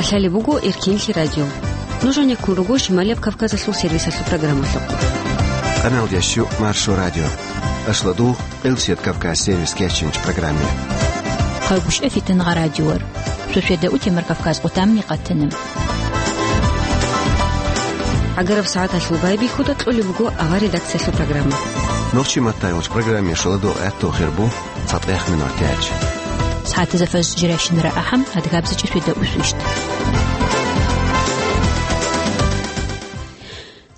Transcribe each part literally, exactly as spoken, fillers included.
Лъалеб буго Эркинлъи радио. Нуж гьанеккун руго Шималияб Кавказалъул сервисалъул программалъухъ. Канал дящу Маршо радио. Ашладу Къилсият Кавказ сервис кечинч программе. Хъайгушев Фитнагъа радиор. Шошеда утемар Кавказ къутамни къатанам. Агараб сагӀаталъул байбихьуда кьолеб буго авар редакциялъул программа. Нохчи маттайвач программе шаладу гӀатту хирбу. ЦатӀех минутач. СагӀатазда фаж жирайщинара ахӀам, адгабзичӀи светда усвищт.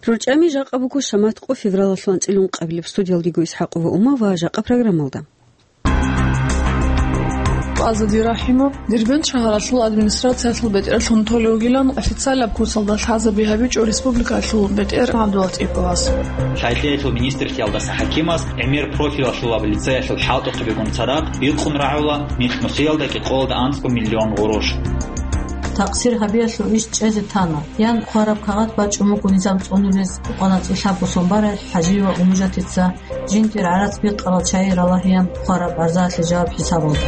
РорчӀами жакъа буго шамат къо февралалъул анцӀилун къабилеб. Студиялдиго ИсхӀакъова Ума ва жакъа программалда. Азади Рахимов Дербент шагьаралъул администрациялъул бетӀерлъун толев вугилан официалаб курсалда лъазаби гьабичӀо республикалъул бетӀер ГӀабдуллатӀиповас. Лъай-лъиялъул министрлъиялдаса хӀакимас гӀемер профилалъулаб лицеялъул хӀалтӀухъабигун цадахъ бикъун рагӀула микьнусиялда кӀикъоялда анцӀго миллион гъурош. Такъсир гьабиялъул иш чӀезе тана, ян хъвараб кагъат бачӀун буго низам цӀунулез, къваначӀи лъабго сон барай ХӀажи ва Умужатица жиндир гӀарац бикъарал чай ралагьеян хъвараб арзаялъе жаваб хӀисабалда.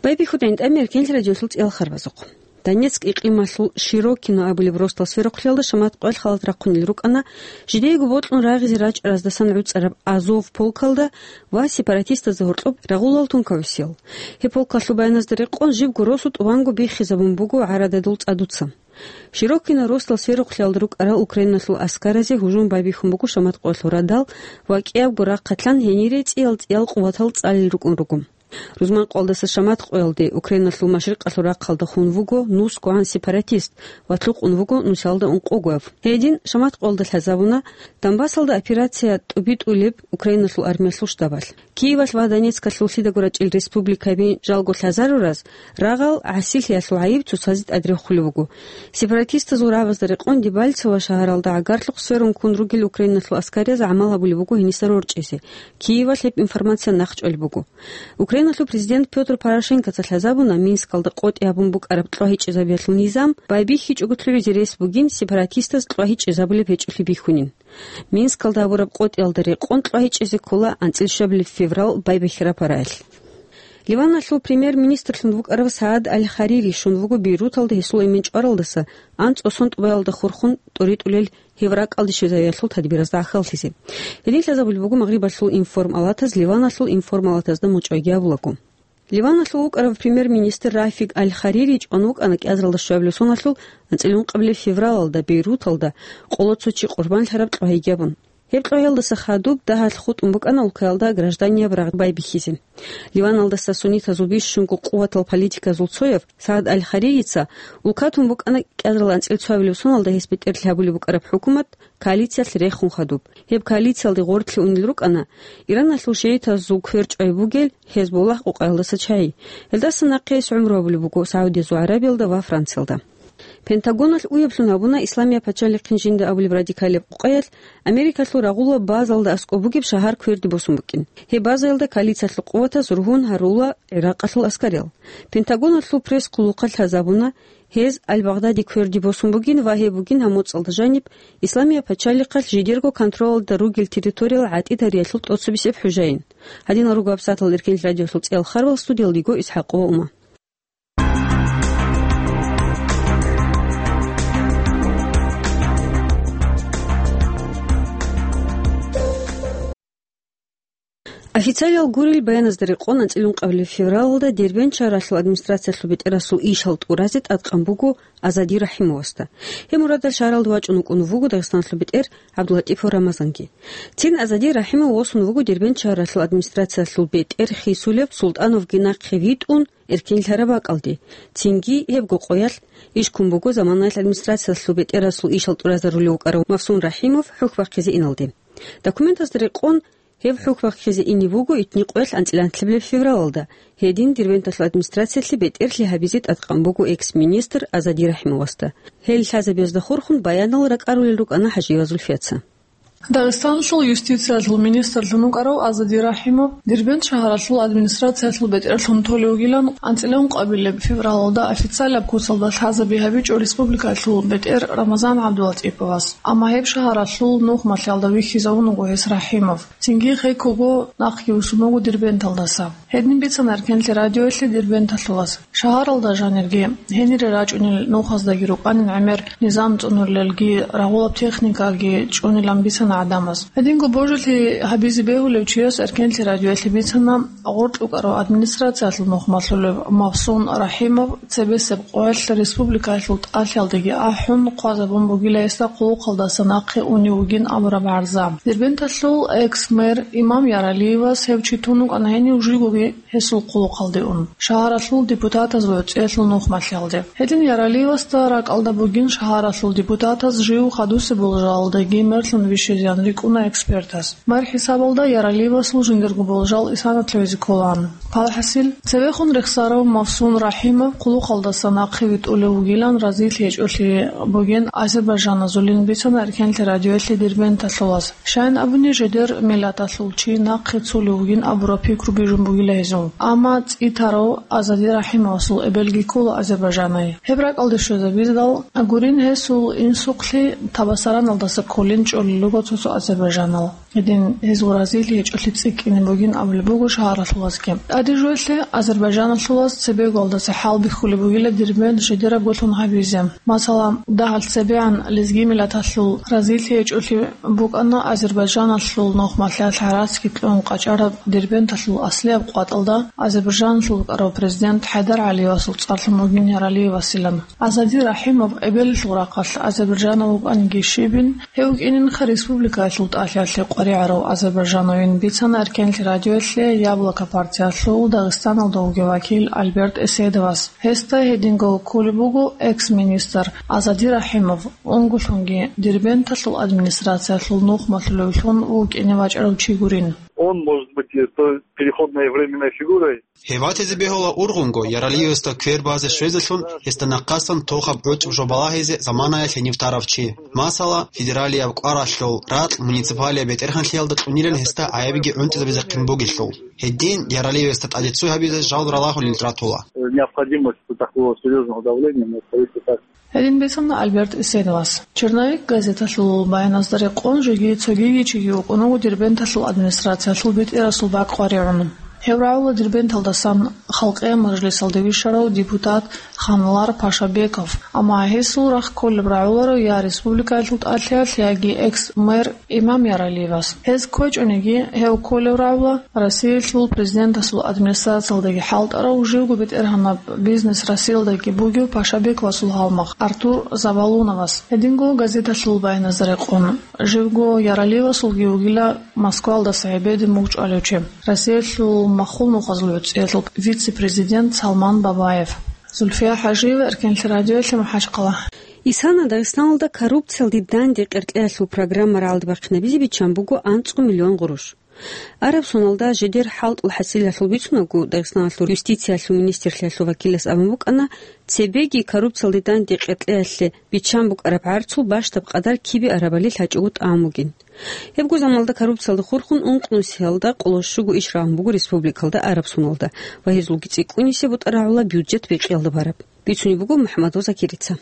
Байбихьуда гӀинтӀами Эркенлъи радиолъул цӀиял харбазухъ. Донецк икълималъул Широкино абулеб росдал сверухълъиялда шамат къоялъ халат рахъунел рукӀана жидеего бокьун рагъизе рачӀараздасан гӀуцӀараб Азов полкалда ва сепаратистазда гьоркьоб рагъулал тункавесиял. Гьеб полкалъул баяназда рекъон жибго росу тӀубанго биххизабун буго гӀарададул цӀадуца. Широкино росдал сверухълъиялда рукӀарал Украиналъул аскаразе гьужум байбихьун буго шамат къоялъул радал ва кӀиябго рахъалъан гьенире цӀиял-цӀиял къуватал цӀалел рукӀун руго. Рузманкъоялдаса шамат къоялде Украиналъул машрикъалъул рахъалда хун вуго нус гогӀан сепаратист ва лъукъун вуго нусалда ункъогояб. Гьедин шамат къоялда лъазабуна Донбассалда операция тӀубитӀулеб Украиналъул армиялъул штабалъ. Киевалъ ва Донецкалъуллъидаго рачӀел республикаби жалго лъазарураз рагъал гӀасилъиялъул гӀайиб цоцазе тӀадрехулеб буго. Сепаратистазул рагӀабазда рекъон Дебальцево шагьаралда гӀагарлъухъ сверун ккун ругел Украиналъул аскарияз гӀамал гьабулеб буго гьениса рорчӀизе. Киевалъ гьеб информация нахъчӀвалеб буго. Украиналъул президент Пётр Порошенкоца лъазабуна Минскалда къотӀи гьабун букӀараб кьвагьичӀезабиялъул низам байбихьичӀого лъугӀизе рес бугин сепаратистаз кьвагьичӀезабулеб гьечӀолъи бихьунин. Минскалда гьабураб къотӀиялда рекъон кьвагьичӀезе ккола анцӀил щвабилеб феврал байбихьараб гьараялъ. Ливаналъул премьер-министрлъун вукӀарав Саад Аль-Харири щун вуго Бейруталда гьесул эмен чӀваралдаса анцӀго сон тӀубаялда хурхун тӀоритӀулел гьев ракӀалде щвезавиялъул тадбиразда гӀахьаллъизе. Гьедин лъазабулеб буго Магърибалъул информалатаз Ливаналъул информалатазда мочӀайги абулаго. Ливаналъул вукӀарав премьер-министр Рафик Аль-Харири чӀван вукӀана кӀиазаралда щвабилеб соналъул анцӀил ункъабилеб февралалда Бейруталда къоло цо чи къурбанлъараб кьвагьиги абун. Гьеб кьвагьиялдаса хадуб дагьалъ хутӀун букӀана улкаялда гражданияб рагъ байбихьизе. Ливаналдаса суннитазул бищунго къуватал политиказул цояв Саад Аль-Харирица улкатун букӀана кӀиазарал анцӀил цоабилеб соналда гьес бетӀерлъи гьабулеб букӀараб хӀукумат коалициялъ рехун хадуб. Гьеб коалициялде гъорлъе унел рукӀана Ираналъул шигӀитазул квер чӀвай бугел Гьезболлагь къукъаялдаса чагӀи. Гьелдаса нахъе гьес гӀумру гьабулеб буго Саудиязул ГӀарабиялда ва Франциялда. Пентагоналъ уяблъун гьабуна Исламияб пачалихъин жинда абулеб радикалияб къукъаялъ Америкалъул рагъула базалда аскӀоб бугеб шагьар кверде босун букӀин. Гьеб базаялда коалициялъул къуватаз ругьун гьарула ГӀиракъалъул аскариял. Пентагоналъул пресс-хъулухъалъ лъазабуна, гьез Аль-Багъдади кверде босун бугин ва гьеб бугин гьаб моцӀалда жаниб Исламияб пачалихъалъ жидерго контролалда ругел территориял гӀатӀидариялъул тӀоцебесеб хӀужаин. Гьадинал руго гьабсагӀаталда Эркенлъи радиолъул цӀиял харбал, студиялда йиго ИсхӀакъова Ума. Официалиял гурел баяназда рекъон анцӀил ункъабилеб февралалда Дербент шагьаралъул администрациялъул бетӀерасул ишал тӀуразе тӀадкъан буго Азади Рахимовасда. Гьеб мурадалъ шагьаралда вачӀун вукӀун вуго Дагъистаналъул бетӀер ГӀабдуллатӀипов Рамазанги. Цин Азади Рахимов восун вуго Дербент шагьаралъул администрациялъул бетӀер хисулеб Султановги нахъе витӀун, эркенлъараб бакӀалде. Цинги гьебго къоялъ иш ккун буго заманаялъ администрациялъул бетӀерасул ишал тӀуразарулев вукӀарав Мавсун Рахимов хӀухь бахъизе иналде. Документазда рекъон, гьев хӀухь бахъизе ине вуго итни къоялъ анцӀила анлъабилеб февралалда, гьедин Дербенталъул администрациялъе бетӀерлъи гьабизе тӀадкъан буго экс-министр Азади Рахимовасда. Гьел лъазабиязда хурхун баянал ракӀарулел рукӀана ХӀажиева Зульфияца. Дагъистаналъул юстициялъул министрлъун вукӀарав Азади Рахимов Дербент шагьаралъул администрациялъул бетӀерлъун толев вугилан анцӀила ункъабилеб февралалда официалаб куцалда лъазаби гьабичӀо республикалъул бетӀер Рамазан ГӀабдулатӀиповас. Амма гьеб шагьаралъул нухмалъиялда вихьизавун вуго гьес Рахимов. Цинги гьеккого нахъги вуссун вуго Дербенталдаса. Гьедин бицана Эркенлъи радиоялъе Дербенталъулас. Шагьаралда жанирги, гьенире рачӀунел нухаздаги рукӀанин гӀемер низам цӀунулелги, рагъулаб техникаги чӀунилан бицана гӀадамаз. Гьединго божилъи гьабизе бегьулев чияс Эркенлъи радиоялъе бицана гъоркь вукӀарав администрациялъул нухмалъулев Мавсун Рахимов цебесеб къоялъ республикаялъул тӀалъиялдаги ахӀун, хъвазабун бугила гьесда хъулухъалдаса нахъе унев вугин абураб гӀарза. Дербенталъул экс-мэр Имам Яралиевас гьев чи тун вукӀана гьенив жигоги гьесул хъулухъалде ун, шагьаралъул депутатазул гӀуцӀиялъул нухмалъиялде. Гьедин Яралиевасда ракӀалда бугин шагьаралъул депутатаз жив хадусеб болжалалдаги мерлъун вищезеян рикӀкӀуна экспертас. Мэр хӀисабалда Яралиевасул жиндирго болжал исанатлъугьизе кколаан. Палхасил, цевехун рехсарав Мавсун Рахимов хъулухъалдаса нахъе витӀулев вугилан разилъи гьечӀолъи бугин азербайджаназулин бицана Эркенлъи радиоялъе Дербенталъулас. Щайин абуни, жидер миллаталъул чи нахъе цолев вугин абураб пикру бижун бугила гьезул. Амма цӀитарав Азади Рахимовасул эбелги ккола Азербайджанай. Гьеб ракӀалде щвезабиздал гурин, гьесул инсухълъи Табасараналдаса кколин чӀолел руго цо-цо азербайджанал. Гьедин гьезул разилъи гьечӀолъи цӀикӀкӀине бугин абулеб буго шагьаралъулазги. ТӀаде жоялъе азербайджаналъулаз цебегоялдаса хӀалбихьулеб бугила Дербент жидерабгулъун гьабизе. Масала, дагьалъ цебегӀан лезги миллаталъул разилъи гьечӀолъи букӀана азербайджаналъул нухмалъиялъ гӀарацги кьун къачӀараб Дербенталъул аслияб къватӀалда азербайджаналъул вукӀарав президент ХӀайдар ГӀалиевасул цӀарлъун вугин Яралиевасилан. Азади Рахимов эбелалъул рахъалъ азербайджанав вукӀаниги щибин, гьев вукӀининха республикаялъул тӀалъиялъе къваригӀарав азербайджанавин бицана Эркенлъи радиоялъе Яблоко партиялъул Дагъистаналда вугев вакил Альберт Эседовас. Гьесда гьединго кколеб буго экс-министр Азади Рахимов, унгулъунги Дербенталъул администрациялъул нухмалъулевлъун вукӀине вачӀарав чи гурин. Он может быть, э, той переходной временной фигурой. Гьев ватизе бегьула ургъунго, Яралиевасда квер базе щвезелъун, гьесда нахъасан тохаб гӀучӀб жо балагьизе заманаялъ гьенив тарав чи. Масала, федералияб кӀваралъул ракь муниципалияб бетӀергьанлъиялда кьунилан гьесда гӀайибги гӀунтӀизабизехъин бугелъул. Гьедин Яралиевасда тӀаде цо гьабизе жал ралагьулел ратула. Необходимость такого серьёзного давления на правительство. Гьедин бицана Альберт Эседовас. «Черновик» газеталъул баяназда рекъон жеги цогиги чиги вукӀун вуго Дербенталъул администрациялъул бетӀерасул бакӀ къваригӀун. Гьев рагӀула Дербенталдасан Халкъиял мажлисалде вищарав депутат Ханлар Пашабеков, амма гьесул рахъ кколеб рагӀуларо я республикаялъул тӀалъиялъ, яги экс-мэр Имам Яралиевас. Гьез кквечӀониги, гьев кколев рагӀула Россиялъул президентасул администрациялдаги хӀалтӀарав, живго бетӀергьанаб бизнес Россиялдаги бугев Пашабековасул гьалмагъ Артур Завалуновас. Гьединго газеталъул баяназда рекъон, живго Яралиевасулги вугила Москвалдаса гьеб беден мугъ чӀвалев чи, Россиялъул махул нухазул гӀуцӀиялъул вице-президент Салман Бабаев. Зульфия ХӀажиева, Эркенлъи радиоялъе, МахӀачхъала. Исана Дагъистаналда коррупциялде данде къеркьеялъул программа рагӀалдибахъинабизе биччан буго анцӀго миллион гъурущ. Араб соналда жидер хӀалтӀул хӀасилалъул бицунагу, Дагъистаналъул юстициялъул министрлъиялъул вакилас абун букӀана, цебеги коррупциялде данде къеркьеялъе биччан букӀараб гӀарцул бащдаб къадар кибе арабали лъачӀого тӀамугин. Гьебго заманалда коррупциялда хурхун ункънусиялда къоло щуго иш рагьун буго республикалда араб соналда ва гьезулги цӀикӀкӀунисеб бутӀа рагӀула бюджет бекьиялда бараб. Бицунеб буго МухӀамадов Закирица.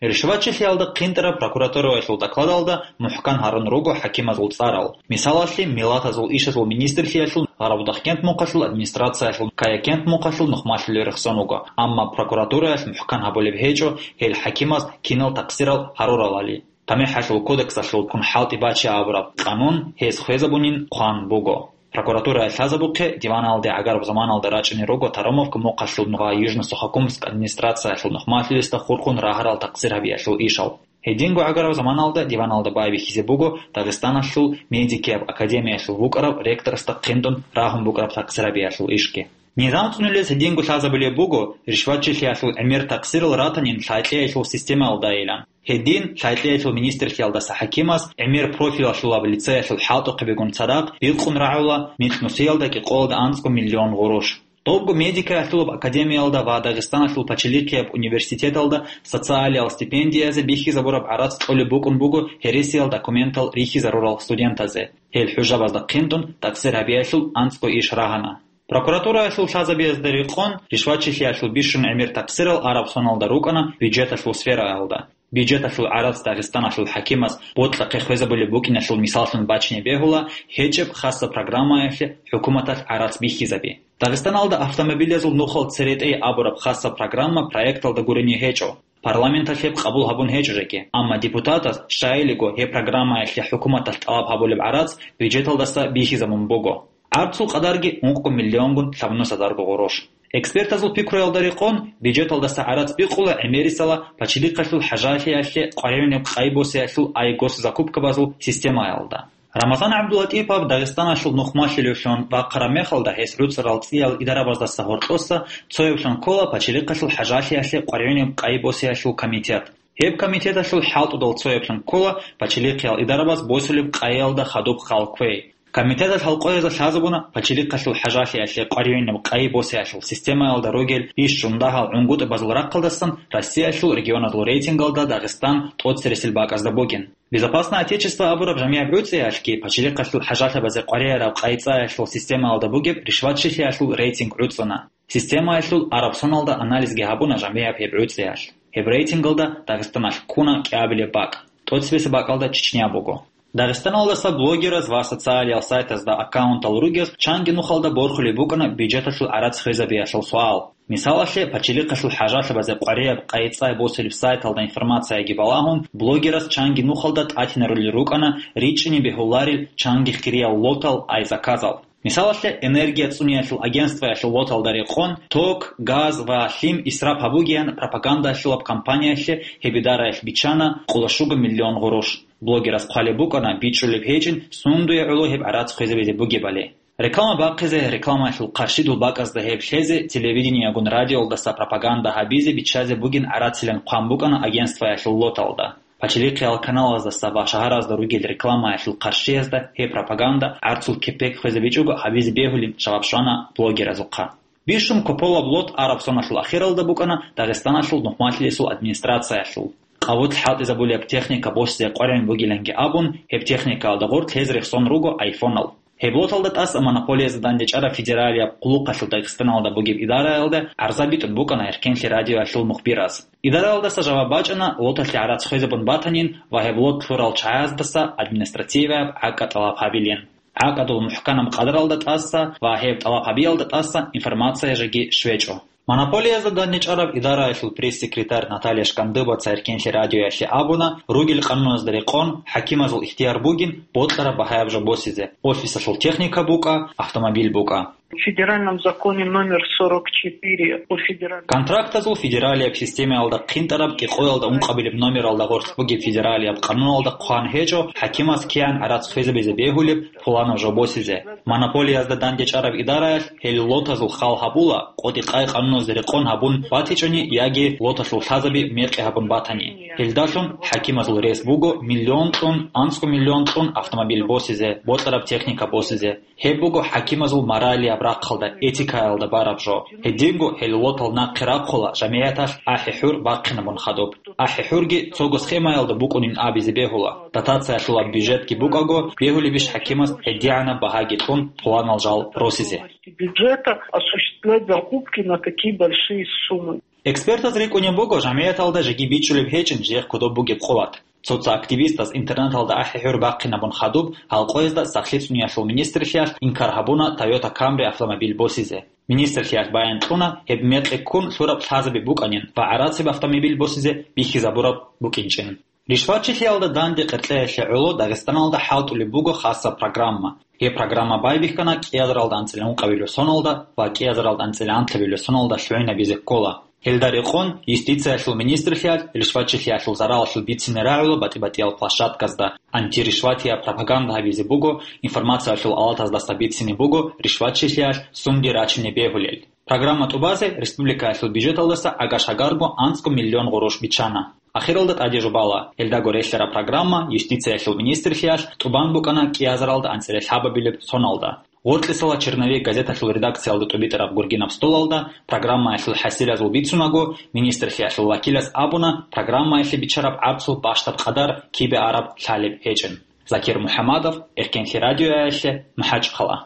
Ришватчилъиялда хъинтӀараб прокуратураялъул докладалда мухӀкан гьарун руго хӀакимазул цӀарал. Мисалалъе, миллатазул ишазул министрлъиялъул Гъарабудахъкент мухъалъул администрациялъул Каякент мухъалъул нухмалъулел рехсон вуго, амма прокуратураялъ мухӀкан гьабулеб гьечӀо гьел хӀакимаз кинал такъсирал гьаруралали. ТамихӀалъул кодексалъул ккун хӀалтӀи бачи абураб къанун гьез хвезабунин хъван буго. Прокуратурая лъазабухъе диваналде гӀагараб заманалда рачӀунел руго Таромовка мухъалъул ва Южно-Сухокумск администрациялъул нухмалъулесда хурхун рагьарал такъсир гьабиялъул ишал. Гьединго гӀагараб заманалда диваналда байбихьизе буго Дагъистаналъул медикияб академиялъул вукӀарав ректорасда хъинтӀун рагьун букӀараб такъсир гьабиялъул ишги. Низам цӀунулес гьединго лъазабулеб буго, ришватчилъиялъул гӀемер такъсирал ратанин лъай-кьеялъул системаялдайилан. Гьедин, лъай-кьеялъул министрлъиялдаса хӀакимас гӀемер профилалъулаб лицеялъул хӀалтӀухъе бегун цадахъ бикъун рагӀула микьнусиялда кӀикъоялда анцӀго миллион гъурущ. Добго медикаялъулаб академиялда ва Дагъистаналъул пачалихъияб университеталда социалиял стипендиязе бихьизабураб гӀарац кьолеб букӀун буго гьересиял документал рихьизарурал студентазе. Гьел хӀужабазда хъинтӀун такъсир гьабиялъул анцӀго иш рагьана. Прокуратураялъул лъазабиязда рекъон, ришватчилъиялъул бищун гӀемер такъсирал араб соналда рукӀана бюджеталъул сфераялда. Бюджеталъул гӀарац Дагъистаналъул хӀакимас бокьахъе хвезабулеб букӀиналъул мисаллъун бачине бегьула гьечӀеб хасаб программаялъе хӀукуматалъ гӀарац бихьизаби. Дагъистаналда автомобилязул нухал церетӀей абураб хасаб программа проекталда гурине гьечӀо. Парламенталъ гьеб къабул гьабун гьечӀо жеги, амма депутатаз, щайилиго, гьеб программаялъе хӀукуматалъ тӀалаб гьабулеб гӀарац бюджеталдаса бихьизабун буго. ГӀарцул къадарги ункъго миллионгун лъабнус гьазарго гъурущ. Экспертазул пикруялда рекъон, бюджеталдаса гӀарац бикъула гӀемерисела пачалихъалъул хӀажалъиялъе къваригӀунеб къайи босиялъул ай госзакупкабазул системаялда. Рамазан ГӀабдулатӀипов Дагъистаналъул нухмалъилевлъун бахъараб мехалда гьес гӀуцӀарал цӀиял идарабаздаса гьоркьоса цояблъун ккола пачалихъалъул хӀажалъиялъе къваригӀунеб къайи босиялъул комитет. Гьеб комитеталъул хӀалтӀудал цояблъун ккола пачалихъиял идарабаз босулеб къайиялда хадуб хал кквей. Комитеталъ гьал къоязда лъазабуна пачалихъалъул хӀажалъиялъе къваригӀунеб къайи босиялъул системаялда ругел иш жундагьал гӀунгутӀубазул рахъалдасан Россиялъул регионазул рейтингалда Дагъистан тӀоцересел бакӀазда бугин. «Безопасное Отечество» абураб жамигӀаб гӀуцӀиялъги пачалихъалъул хӀажалъабазе къваригӀараб къайи цӀаялъул системаялда бугеб ришватчилъиялъул рейтинг гӀуцӀуна. Системаялъул араб соналда анализги гьабуна жамигӀаб гьеб гӀуцӀиялъ. Гьеб рейтингалда Дагъистаналъ ккуна кӀиабилеб бакӀ, тӀоцебесеб бакӀалда Чечня буго. Дагъистаналдаса блогераз ва социалиял сайтазда аккаунтал ругез чанги нухалда борхулеб букӀана бюджеталъул гӀарац хвезабиялъул суал. Мисалалъе, пачалихъалъул хӀажалъабазе къваригӀараб къайи цӀай босулеб сайталда информацияги балагьун, блогераз чанги нухалда тӀатинарулел рукӀана ричӀчӀине бегьуларел чанги хириял лотал, ай заказал. Мисалалъе, энергия цӀуниялъул агентствоялъул лоталда рекъон, ток, газ ва лъим исраф гьабугеян пропагандалъулаб кампаниялъе гьеб идараялъ биччана къоло щуго миллион гъурущ. Блогерас хъвалеб букӀана бичӀчӀулеб гьечӀин сундуе гӀоло гьеб гӀарац хвезабизе бугебали. Реклама бахъизе, рекламаялъул къаршидул бакӀазда гьеб лъезе, телевидениягун радиоялдаса пропаганда гьабизе биччазе бугин гӀарацилан хъван букӀана агентствоялъул лоталда. Пачалихъиял каналаздаса ва шагьаразда ругел рекламаялъул къаршиязда гьеб пропаганда гӀарцул кепек хвезабичӀого гьабизе бегьулин жаваб щвана блогеразухъа. Бищун кополаб лот араб соналъул ахиралда букӀана Дагъистаналъул нухмалъилесул администрациялъул. Къавут хӀалтӀизабулеб техника босизе къваригӀун бугиланги абун, гьеб техникаялда гъорлъ лъезе рехсон руго айфонал. Гьеб лоталда тӀаса монополиязда дандечӀараб федералияб къуллукъалъул Дагъистаналда бугеб идараялда гӀарза битӀун букӀана Эркенлъи радиоялъул мухбирас. Идараялдаса жаваб бачӀана лоталъе гӀарац хвезабун батанин ва гьеб лот лъурал чагӀаздаса административаяб гӀакӀа тӀалаб гьабилин. ГӀакӀадул мухӀканаб къадаралда тӀаса ва гьеб тӀалаб гьабиялда тӀаса информация жеги щвечӀо. Монополиязда дандечӀараб идараялъул пресс-секретарь Наталья Шкандыбаца Эркенлъи радиоялъе абуна, ругел къануназда рекъон, хӀакимазул ихтияр бугин бокьараб багьаяб жо босизе, офисалъул техника букӀа, автомобиль букӀа. В федеральном законе номер сорок четыре о федеральном... Контрактазул федералияб системаялда хъинтӀараб кӀикъоялда ункъабилеб номералда гъорлъ бугеб федералияб къануналда хъван гьечӀо хӀакимас кигӀан гӀарац хвезабизе бегьулеб пуланаб жо босизе. Монополиязда дандечӀараб идараялъ гьел лотазул хал гьабула, къотӀи-къай къануназда рекъон гьабун батичӀони яги лоталъул лъазаби мекъи гьабун батани. Гьелдалъун хӀакимазул рес буго миллион кьун, анцӀго миллион кьун автомобиль босизе, бокьараб техника босизе. Гьеб буго хӀакимазул моралияб рахъалда, этикаялда бараб жо. Гьединго гьел лотал нахъе рахъула жамигӀаталъ ахӀи-хӀур бахъинабун хадуб. АхӀи-хӀурги цого схемаялда букӀунин абизе бегьула. Дотациялъулаб бюджетги букӀаго, бегьулебищ хӀакимас гьедигӀанаб багьаги кьун пуланал жал росизе? Бюджета осуществлять закупки на такие большие суммы. Экспертаз рикӀкӀунеб буго жамигӀаталда жеги бичӀчӀулеб гьечӀин жех кодоб бугеб къуват. Цо-цо активистаз интернеталда ахӀи-хӀур бахъинабун хадуб гьал къоязда сахлъи цӀуниялъул министрлъиялъ инкар гьабуна Toyota Camry автомобиль босизе. Министрлъиялъ баян кьуна, гьеб мекъи ккун лъураб лъазаби букӀанин ва гӀарациб автомобиль босизе бихьизабураб букӀинчӀин. Ришватчилъиялда данде къеркьеялъе гӀоло Дагъистаналда хӀалтӀулеб буго хасаб программа. Гьеб программа байбихьана кӀиазаралда анцӀила ункъабилеб соналда ва кӀиазаралда анцӀила анлъабилеб соналда лъугӀинабизе ккола. Гьелда рекъон, юстициялъул министрлъиялъ ришватчилъиялъул заралалъул бицине рагӀула батӀи-батӀиял площадказда, антиришватияб пропаганда гьабизе буго, информациялъул алатаздаса бицине буго ришватчилъиялъ сунди рачине бегьулел. Программа тӀубазе республикаялъул бюджеталдаса агаш-агарго анцӀго миллион гъурущ биччана. Ахиралда тӀаде жубала, гьелдаго релълъараб программа юстициялъул министрлъиялъ тӀубан букӀана кӀиазаралда анцӀила лъабабилеб соналда. Гъоркьисала «Черновик» газеталъул редакциялда тӀубитӀараб гургинаб столалда программаялъул хӀасилазул бицунаго, министрлъиялъул вакилас абуна программаялъе биччараб гӀарцул бащдаб къадар кибе араб лъалеб гьечӀин. Закир МухӀамадов, Эркенлъи радиоялъе, МахӀачӀахъала.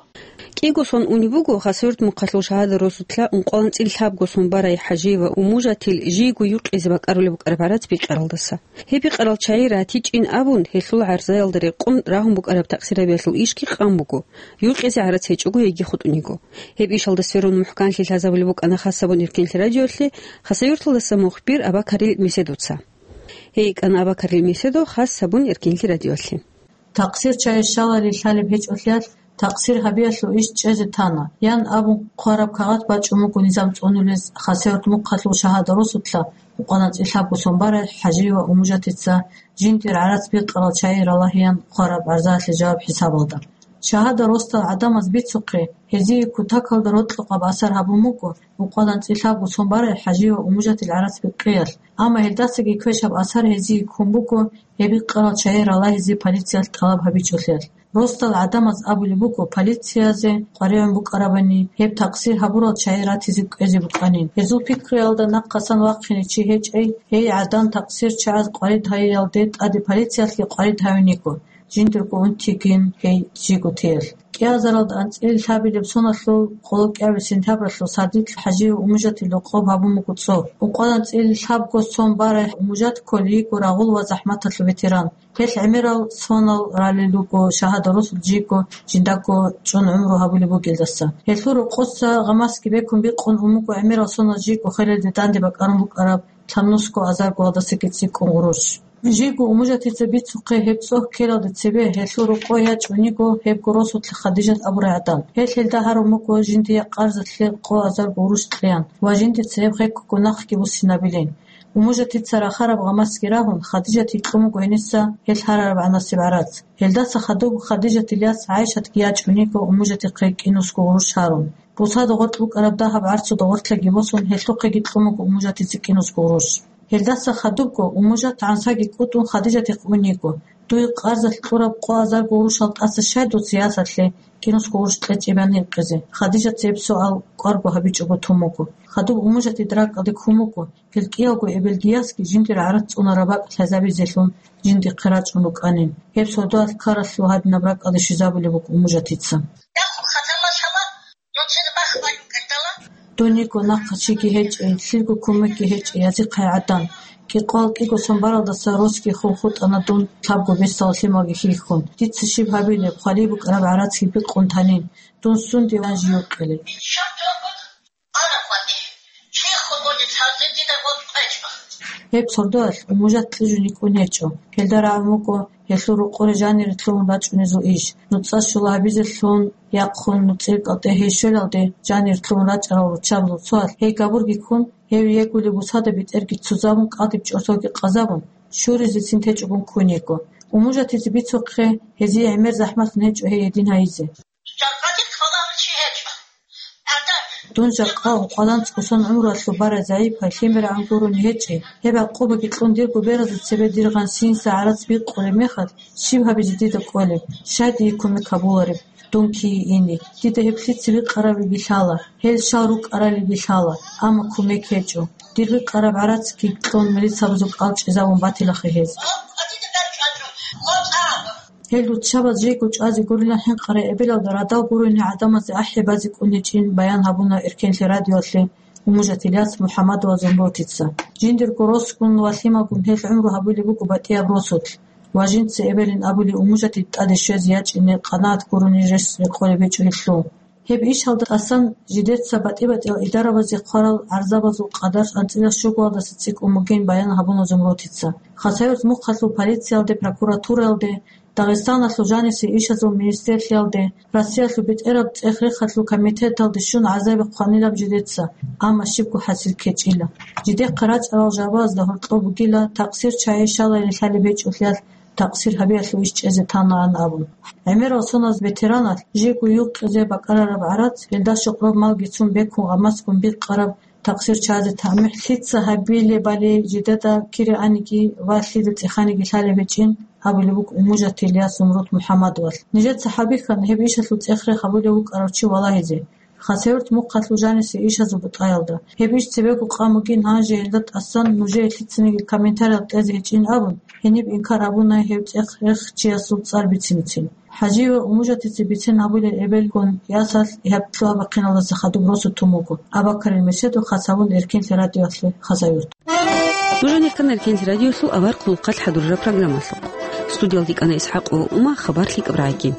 КӀиго сон унеб буго Хасавюрт мухъалъул Шагьада росулъа ункъоялда анцӀила лъабго сон барай ХӀажиева Уммужатил жийго юкъизе бакӀарулеб букӀараб гӀарац бикъаралдаса. Гьеб бикъарал чагӀи ратичӀин абун, гьелъул гӀарзаялда рекъон рагьун букӀараб такъсирабиялъул ишги къан буго, юкъизе гӀарац гьечӀого яги хутӀун йиго. Гьеб ишалда сверун мухӀканлъи лъазабулеб букӀана хасабун Эркенлъи радиоялъе Хасавюрталдаса мухбир Абакарил Меседовца. Гьей йикӀана Абакарил Меседов хасабун Эркенлъи радиоялъе. Такъсир чагӀи щаларин лъалеб гьечӀолъиялъ, такъсир гьабиялъул иш чӀезе тана, ян абун хъвараб кагъат бачӀун буго низам цӀунулез Хасавюрт мухъалъул Шагьада росулъа ункъоялда анцӀила лъабго сон барай ХӀажиева Уммужатица жиндир гӀарац бикъарал чагӀи ралагьеян хъвараб гӀарзаялъе жаваб хӀисабалда. Шагьада росдал гӀадамаз бицухъе, гьезие кутакалда рокьукъаб асар гьабун буго ункъоялда анцӀила лъабго сон барай ХӀажиева Уммужатил гӀарац бикъиялъ, амма гьелдасаги квешаб асар гьезие ккун буго гьеб бикъарал чагӀи ралагьизе полициялъ тӀалаб гьабичӀолъиялъ. Росдал гӀадамаз абулеб буго полициязе къваригӀун букӀарабани, гьеб такъсир гьабурал чагӀи ратизе кӀвезе букӀанин. Гьезул пикруялда нахъасан вахъине чи гьечӀей, гьей гӀадан такъсир чагӀаз къварид гьайиялде тӀаде полициялъги къварид гьавин йиго, жиндирго унтиги гьей жийго теялъ. КӀиазаралда анцӀила лъабилеб соналъул къоло кӀиабилеб сентябралъул сардилъ ХӀажиев Уммужатил рокъоб гьабун буго цӀоб. Ункъоялда анцӀила лъабго сон барай Уммужат кколей йиго рагъул ва захӀматалъул ветеран. Гьелъ гӀемерал сонал ралел руго Шагьада росулъ жийго жиндаго чӀун гӀумру гьабулеб бугелдаса. Гьелъул рокъоса гъамасги бекун бикъун ун буго гӀемерал сонал жийго хвелалде данде бакӀарун букӀараб лъабнусго азаргоялдасаги цӀикӀкӀун гъурущ. Жийго Уммужатица бицухъе гьеб цӀоб ккелалде цебе гьелъул рокъой ячӀун йиго гьебго росулъа Хадижат абурай гӀадан. Гьелъ гьелда гьарун буго жиндие къарзалъе къо азарго гъурущ кьеян ва жиндица гьеб хеккого нахъги буссинабилин. Уммужатица рахараб гъамасги рагьун, Хадижатида кьун буго гьениса гьелъ гьарараб гӀанасеб гӀарац. Гьелдаса хадуб Хадижатил яс ГӀайшатги ячӀун йиго Уммужатихъе кӀинусго гъурущ гьарун. Бусада гъоркь букӀараб дагьаб гӀарцуда гъортлъаги босун, гьелъухъеги кьун буго Уммужатица кӀинусго гъурущ. Гьелдаса хадубго Уммужат гӀансаги кӀутӀун Хадижатихъ ун йиго: «Дуе къарзалъ кьураб къо азарго гъурущал тӀаса щай дуца ясалъе кӀинусго гъурущ кьечӀебани гьикъизе?» Хадижатица гьеб суал кӀварго гьабичӀого тун буго. Хадуб Уммужатида ракӀалде ккун буго, гьел кӀиялго эбелги ясги жиндир гӀарац цӀунараб бакӀ лъазабизелъун жиндихъе рачӀун рукӀанин. Гьеб сордоялъ ккаралъул гьадинаб ракӀалде щвезабулеб буго Уммужатица. Дун йиго нахъа чиги гьечӀей, лъилго кумекги гьечӀей, язихъай гӀадан. КӀикъоял кӀиго сон баралдаса росги хун хутӀана дун лъабго бесдала лъималги хьихьун. Дица щиб гьабилеб, хвалеб букӀараб гӀарацги бикъун танин. Дун сунде ван жив кьилеб? Гьеб сордоялъ Уммужат кьижун йикӀун гьечӀо. Гьелда рагӀун вукӀо гьелъул рокъоре жанире лъугьун рачӀунезул иш. НуцӀа щула гьабизелъун яхъун нуцӀил кӀалтӀе гьей щвелалде жанире лъугьун рачӀарал руччабазул цоялъ гьей габурги ккун, гьев йигулеб бусада бетӀерги ццузабун, кӀалдиб чӀорсоги къазабун, щуризецин течӀогун ккун йиго. Уммужатица бицухъе, гьезие гӀемер захӀмалъун гьечӀо гьей гьедин гьайизе. Дун жакъа ункъоялда анцӀго сон гӀумруялъул барай загӀипай лъимерагӀан гурони гьечӀей, гьеб гӀакъубаги кьун дирго беразул цебе дир гъансиниса гӀарац бикъулеб мехалъ, щиб гьабизе дида кӀолеб, щай дие кумек гьабулареб? Дун кие ине, дида гьеб лъица бикъарабиги лъала, гьел щал рукӀаралиги лъала, амма кумек гьечӀо. Дир бикъараб гӀарацги кьун милицабазул кӀал чӀезабун батилахъе гьез. Гьел руччабаз жийго чӀвазе гурилан хӀинкъарай эбелалда радал гурони гӀадамазе ахӀи базе кӀун гьечӀин баян гьабуна Эркенлъи радиоялъе Уммужат Ильяс МухӀаммадова Зумрутица. Жиндирго росгун ва лъималгун гьел гӀумру гьабулеб буго батӀияб росулъ, ва жинца эбелин абулеб Уммужатида тӀаде щвезе ячӀине къанагӀат гурони рес рекъолеб гьечӀо гьелъул. Гьеб ишалда тӀасан жидеца батӀи-батӀиял идарабазе хъварал гӀарзабазул къадар анцӀила щугоялдаса цӀикӀкӀун бугин баян гьабуна Зумрутица. Хасавюрт мухъалъул полициялде, прокуратураялде, Дагъистаналъул жанисе ишазул министрлъиялде, Россиялъул бетӀераб цӀех-рехалъул комитеталде щун гӀазаби хъванилан жидеца, амма щибго хӀасил ккечӀила. Жидехъа рачӀарал жавабазда гьоркьоб бугила такъсир чагӀи щалайин лъалеб гьечӀолъиялъ такъсир гьабиялъул иш чӀезе танаан абун. ГӀемерал соназ ветераналъ жийго юкъизе бакӀарараб гӀарац, гьелда щокълоб малги цун бекун гъамасгун бикъараб такъсир чӀвазе тамихӀ лъица гьабилебали жидеда кире аниги ва лъида цӀеханиги лъалеб гьечӀин, абулеб буго Умужатил яс Зумруд МухӀаммадовалъ. Нижеца хӀалбихьана гьеб ишалъул цӀех-рех гьабулев вукӀарав чи валагьизе. Хасавюрт мухъалъул жанисе ишазул бутӀаялда. Гьеб иш цебего къан бугин, гьанже гьелда тӀасан нужее лъицаниги комментарияб кьезе гьечӀин абун, гьениб инкар гьабуна гьев цӀех-рех чиясул цӀар бицинцин. ХӀажи ва Умужатица бицин гьабулел эбелгун ясалъ гьеб лъугьа-бахъиналдаса хадуб росу тун буго Абакарил мечеду хас гьабун Эркенлъи радиоялъе Хасавюрт. Нуж гьанир ккана Эркенлъи радиоялъул авар хъулухъалъ хӀадурараб программалъухъ. Студиялда ккана ИсхӀакъ ва Ума, хабар лъикӀаб рагӀаги.